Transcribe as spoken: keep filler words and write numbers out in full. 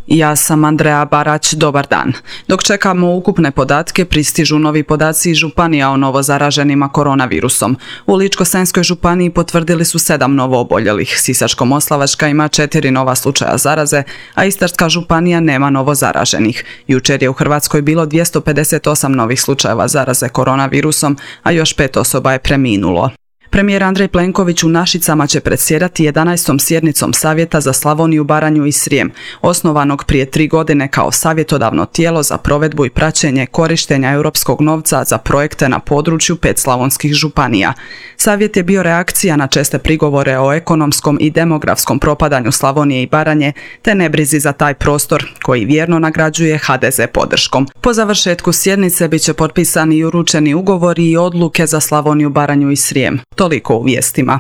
Ja sam Andreja Barać, dobar dan. Dok čekamo ukupne podatke, pristižu novi podaci iz županija o novo zaraženima koronavirusom. U Ličko-senjskoj županiji potvrdili su sedam novo oboljelih, Sisačko-moslavačka ima četiri nova slučaja zaraze, a Istarska županija nema novo zaraženih. Jučer je u Hrvatskoj bilo dvjesto pedeset osam novih slučajeva zaraze koronavirusom, a još pet osoba je preminulo. Premijer Andrej Plenković u Našicama će predsjedati jedanaestom sjednicom Savjeta za Slavoniju, Baranju i Srijem, osnovanog prije tri godine kao savjetodavno tijelo za provedbu i praćenje korištenja europskog novca za projekte na području pet slavonskih županija. Savjet je bio reakcija na česte prigovore o ekonomskom i demografskom propadanju Slavonije i Baranje, te nebrizi za taj prostor koji vjerno nagrađuje ha de ze podrškom. Po završetku sjednice bit će potpisani i uručeni ugovori i odluke za Slavoniju, Baranju i Srijem. Toliko u vijestima.